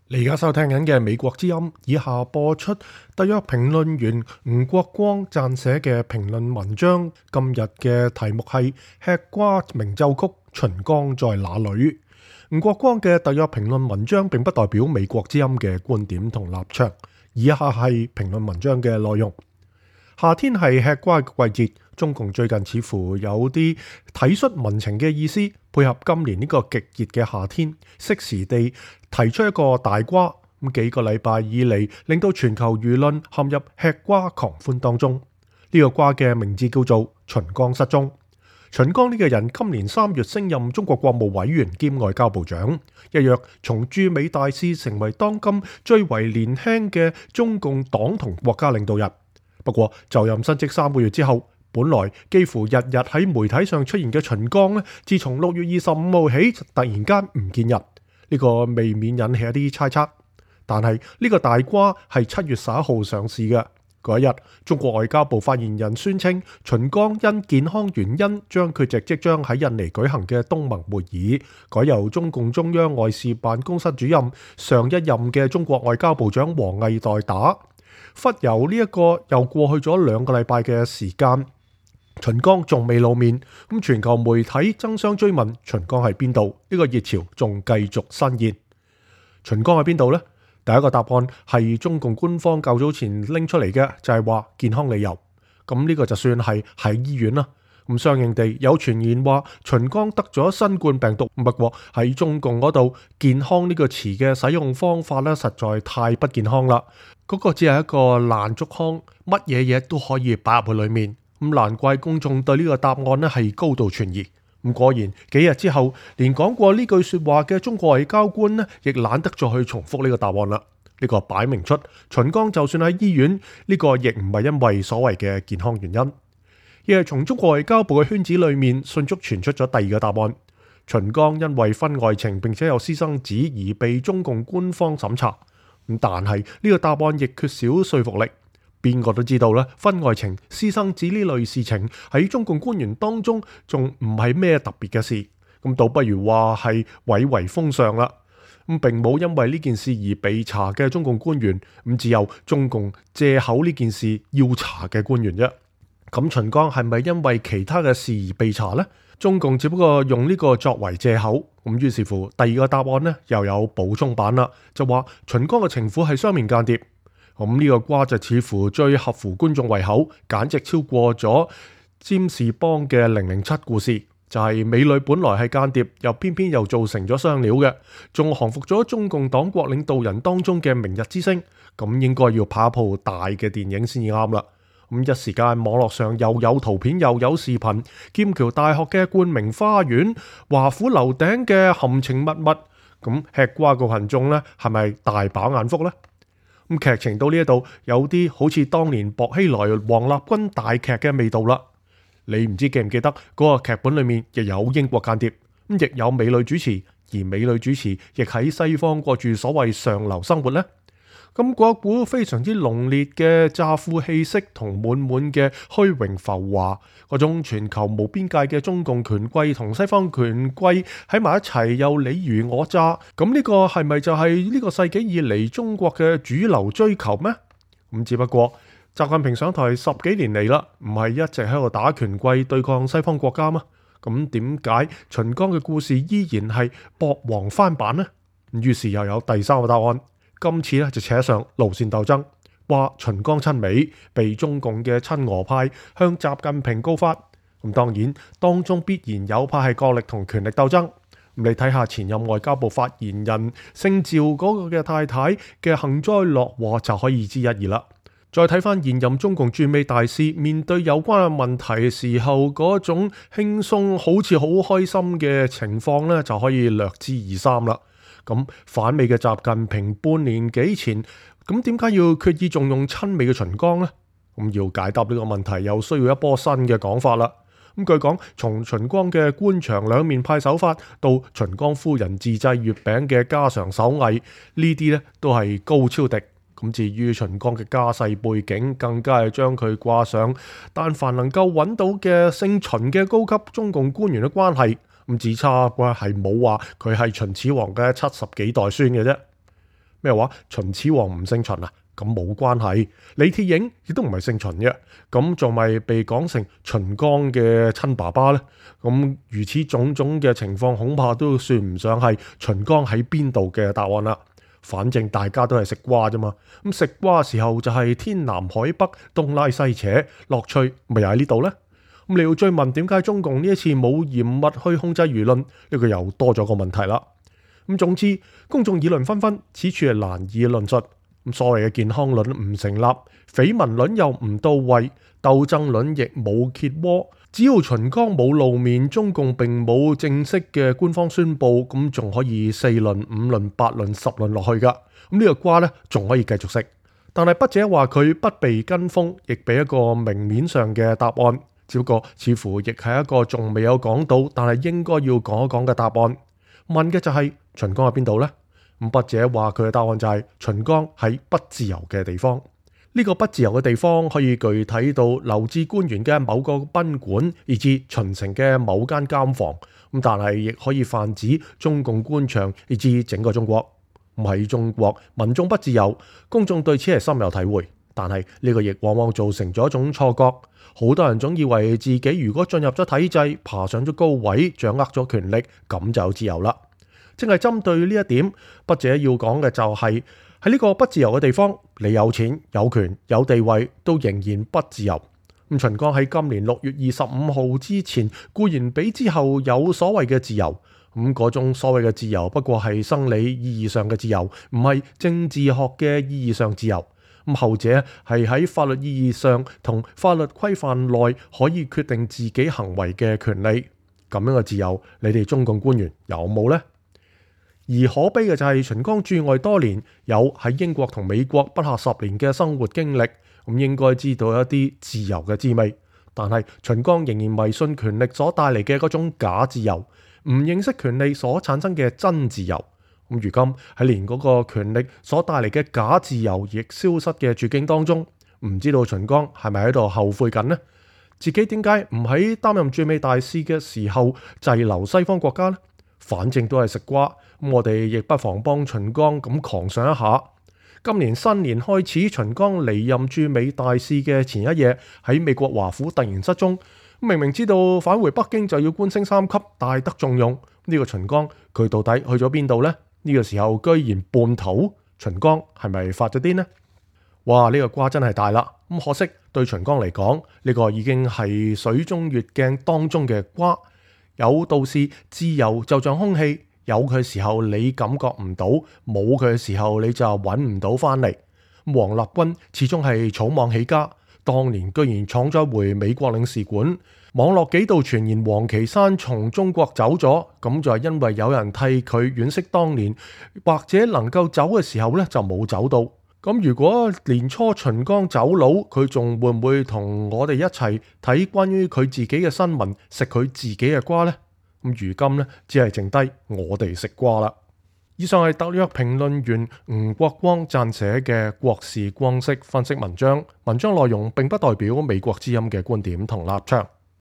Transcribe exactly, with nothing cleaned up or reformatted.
你而家收聽緊嘅美國之音，以下播出特約評論員吳國光撰寫嘅評論文章。今日嘅題目係吃瓜鳴奏曲，秦剛在哪裏？吳國光嘅特約評論文章並不代表美國之音嘅觀點同立場。以下係評論文章嘅內容。夏天係吃瓜嘅季節，中共最近似乎有啲體恤民情嘅意思，配合今年呢個極熱嘅夏天，適時地提出一個大瓜。咁幾個禮拜以嚟，令到全球輿論陷入吃瓜狂歡當中。呢、這個瓜嘅名字叫做秦剛失蹤。秦剛呢個人今年三月升任中國國務委員兼外交部長，一躍從駐美大使成為當今最為年輕嘅中共黨同國家領導人。不過就任新職三個月之後，本來幾乎日日喺媒體上出現嘅秦剛呢，自從六月二十五號起突然間唔見人，呢、這個未免引起一啲猜測。但係呢個大瓜係七月十一號上市嘅嗰一日，中國外交部發言人宣稱秦剛因健康原因將缺席即將喺印尼舉行嘅東盟會議，改由中共中央外事辦公室主任上一任嘅中國外交部長王毅代打。忽悠呢一個又過去咗兩個禮拜嘅時間，秦剛仲未露面，咁全球媒體爭相追問秦剛喺邊度，呢個熱潮仲繼續伸延。秦剛喺邊度呢？第一個答案係中共官方較早前拎出嚟嘅，就係話健康理由。咁呢個就算係喺醫院啦。咁相應地有傳言話秦剛得咗新冠病毒，不過喺中共嗰度，健康呢個詞嘅使用方法咧，實在太不健康啦。嗰個只係一個爛竹腔，乜嘢嘢都可以擺入去裏面。咁難怪公眾對呢個答案咧係高度存疑。咁果然幾日之後，連講過呢句說話嘅中國外交官咧，亦懶得再去重複呢個答案啦。呢個擺明出秦剛就算喺醫院，呢個亦唔係因為所謂嘅健康原因。亦係從中國外交部嘅圈子裏面迅速傳出咗第二個答案：秦剛因為婚外情並且有私生子而被中共官方審查。咁但係呢個答案亦缺少說服力。邊個都知道咧，婚外情、私生子呢類事情喺中共官員當中仲唔係咩特別嘅事。咁倒不如話係蔚為風尚啦。咁並冇因為呢件事而被查嘅中共官員，咁只有中共借口呢件事要查嘅官員啫。咁秦剛係咪因為其他嘅事而被查呢？中共只不過用呢個作為借口。咁於是乎，第二個答案呢又有補充版啦，就話秦剛嘅情婦係雙面間諜。咁呢個瓜就似乎最合乎觀眾胃口，簡直超過咗占士邦嘅零零七故事。就係美女本來係間諜，又偏偏又做成咗雙料嘅，仲降服咗中共黨國領導人當中嘅明日之星。咁應該要拍一部大嘅電影先至啱啦。咁一時間網絡上又有圖片又有視頻，劍橋大學嘅冠名花園、華府樓頂嘅含情脈脈，咁吃瓜個群眾呢係咪大飽眼福呢？咁劇情到呢一度有啲好似當年薄熙來、王立軍大劇嘅味道啦。你唔知記唔記得嗰個劇本裏面亦有英國間諜，咁亦有美女主持，而美女主持亦喺西方過住所謂上流生活呢？咁嗰股非常之濃烈嘅詐富氣息同滿滿嘅虛榮浮華，嗰種全球無邊界嘅中共權貴同西方權貴喺埋一齊又你虞我詐，咁呢個係咪就係呢個世紀以嚟中國嘅主流追求咩？咁只不過習近平上台十幾年嚟啦，唔係一直喺度打權貴對抗西方國家嗎？咁點解秦剛嘅故事依然係博王翻版呢？於是又有第三個答案。今次咧就扯上路線鬥爭，話秦剛親美，被中共嘅親俄派向習近平告發。咁當然當中必然有派系角力同權力鬥爭。你睇下前任外交部發言人姓趙嗰個嘅太太嘅幸災樂禍就可以知一二啦。再睇翻現任中共駐美大使面對有關嘅問題時候嗰種輕鬆好似好開心嘅情況呢，就可以略知二三啦。咁反美嘅習近平半年幾前，咁點解要決意重用親美嘅秦剛呢？咁要解答呢個問題，又需要一波新嘅講法啦。咁據講，從秦剛嘅官場兩面派手法，到秦剛夫人自製月餅嘅家常手藝，呢啲呢都係高超敵。咁至於秦剛嘅家世背景，更加係將佢掛上但凡能夠揾到嘅姓秦嘅高級中共官員嘅關係。咁只差嘅係冇話佢係秦始皇嘅七十幾代孫嘅啫。咩話？秦始皇唔姓秦啊？咁冇關係。李鐵映亦都唔係姓秦嘅，咁仲咪被講成秦剛嘅親爸爸呢？咁如此種種嘅情況，恐怕都算唔上係秦剛喺邊度嘅答案啦。反正大家都係食瓜啫嘛。咁食瓜嘅時候就係天南海北，東拉西扯，樂趣咪又喺呢度呢？咁你要追問點解中共呢一次冇嚴密去控制輿論，呢個又多咗個問題啦。咁總之，公眾議論紛紛，此處係難以論述。咁所謂嘅健康論唔成立，緋聞論又唔到位，鬥爭論亦冇揭窩。只要秦剛冇露面，中共並冇正式嘅官方宣佈，咁仲可以四論、五論、八論、十論落去噶。咁呢個瓜呢，仲可以繼續食。但係筆者話佢不被跟風，亦俾一個明面上嘅答案，只不過似乎亦係一個仲未有講到，但係應該要講一講嘅答案。問嘅就係秦剛喺邊度呢？咁筆者話佢嘅答案就係秦剛喺不自由嘅地方。呢個不自由嘅地方可以具體到留置官員嘅某個賓館，以至秦城嘅某間監房。咁但係亦可以泛指中共官場，以至整個中國。唔係中國民眾不自由，公眾對此係深有體會。但係呢個亦往往造成咗一種錯覺，好多人總以為自己如果進入咗體制，爬上咗高位，掌握咗權力，咁就有自由啦。正係針對呢一點，筆者要講嘅就係喺呢個不自由嘅地方，你有錢、有權、有地位，都仍然不自由。咁秦剛喺今年六月二十五號之前，固然比之後有所謂嘅自由，咁嗰種所謂嘅自由，不過係生理意義上嘅自由，唔係政治學嘅意義上自由。咁後者係喺法律意義上同法律規範內可以決定自己行為嘅權利。咁樣嘅自由，你哋中共官員有冇呢？而可悲嘅就係秦剛駐外多年，有喺英國同美國不下十年嘅生活經歷，咁應該知道一啲自由嘅滋味。但係秦剛仍然迷信權力所帶嚟嘅嗰種假自由，唔認識權力所產生嘅真自由。咁如今喺連嗰個權力所帶嚟嘅假自由亦消失嘅處境當中，唔知道秦剛係咪喺度後悔緊呢？自己點解唔喺擔任駐美大使嘅時候滯留西方國家呢？反正都係食瓜，咁我哋亦不妨幫秦剛咁狂上一下。今年新年開始，秦剛離任駐美大使嘅前一夜，喺美國華府突然失蹤。明明知道返回北京就要官升三級，大得重用，呢個秦剛佢到底去咗邊度呢？呢個時候居然叛逃，秦剛係咪發咗癲呢？哇！呢個瓜真係大啦。咁可惜對秦剛嚟講，呢個已經係水中月鏡當中嘅瓜。有道是自由就像空氣，有佢嘅時候你感覺唔到，冇佢嘅時候你就揾唔到翻嚟。王立軍始終係草莽起家，當年居然闖咗回美國領事館，網絡幾度傳言王岐山從中國走咗，咁就係因為有人替佢惋惜當年，或者能夠走嘅時候咧就冇走到。咁如果年初秦剛走佬，佢仲會唔會同我哋一齊睇關於佢自己嘅新聞，食佢自己嘅瓜呢？咁如今呢，只係剩低我哋食瓜啦。以上係特約評論員吳國光撰寫嘅國事光式分析文章，文章內容並不代表美國之音嘅觀點同立場。